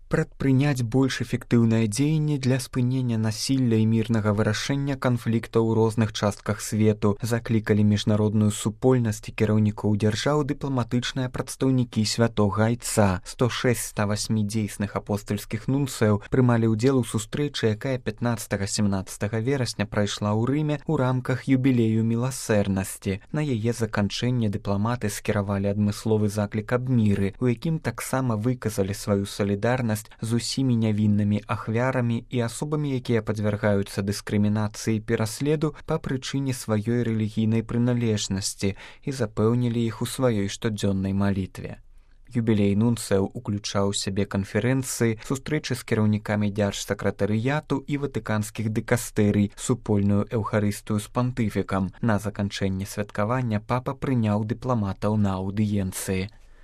прадпрыняць больш эфектыўныя дзеянні для спынення насілля і мірнага вырашэння канфліктаў у розных частках свету, заклікалі міжнародную супольнасць і кіраўнікоў дзяржаў дыпламатычныя прадстаўнікі святога айца. 106-108 дзейсных апостальскіх нунцыяў прымалі ўдзел у сустрэчы, якая 15-17 верасня прайшла ў Рыме ў рамках юбілею міласэрнасці. На яе заканчэнне дыпламаты скіравалі адмысловы заклік аб міры, у якім таксама выказалі сваю салідарнасць з усімі нявіннымі ахвярамі і асобамі, якія падвяргаюцца дыскрымінацыі і пераследу па прычыне сваёй рэлігійнай прыналежнасці і запэўнілі іх у сваёй штодзённай малітве. Юбілей нунцыяў уключаў у сябе канферэнцыі, сустрэчы з кіраўнікамі дзяржсакратарыяту і ватыканскіх дыкастэрый, супольную эўхарыстыю з пантыфікам. На заканчэнне святкавання папа прыняў дыпламатаў на аўдыенцыі.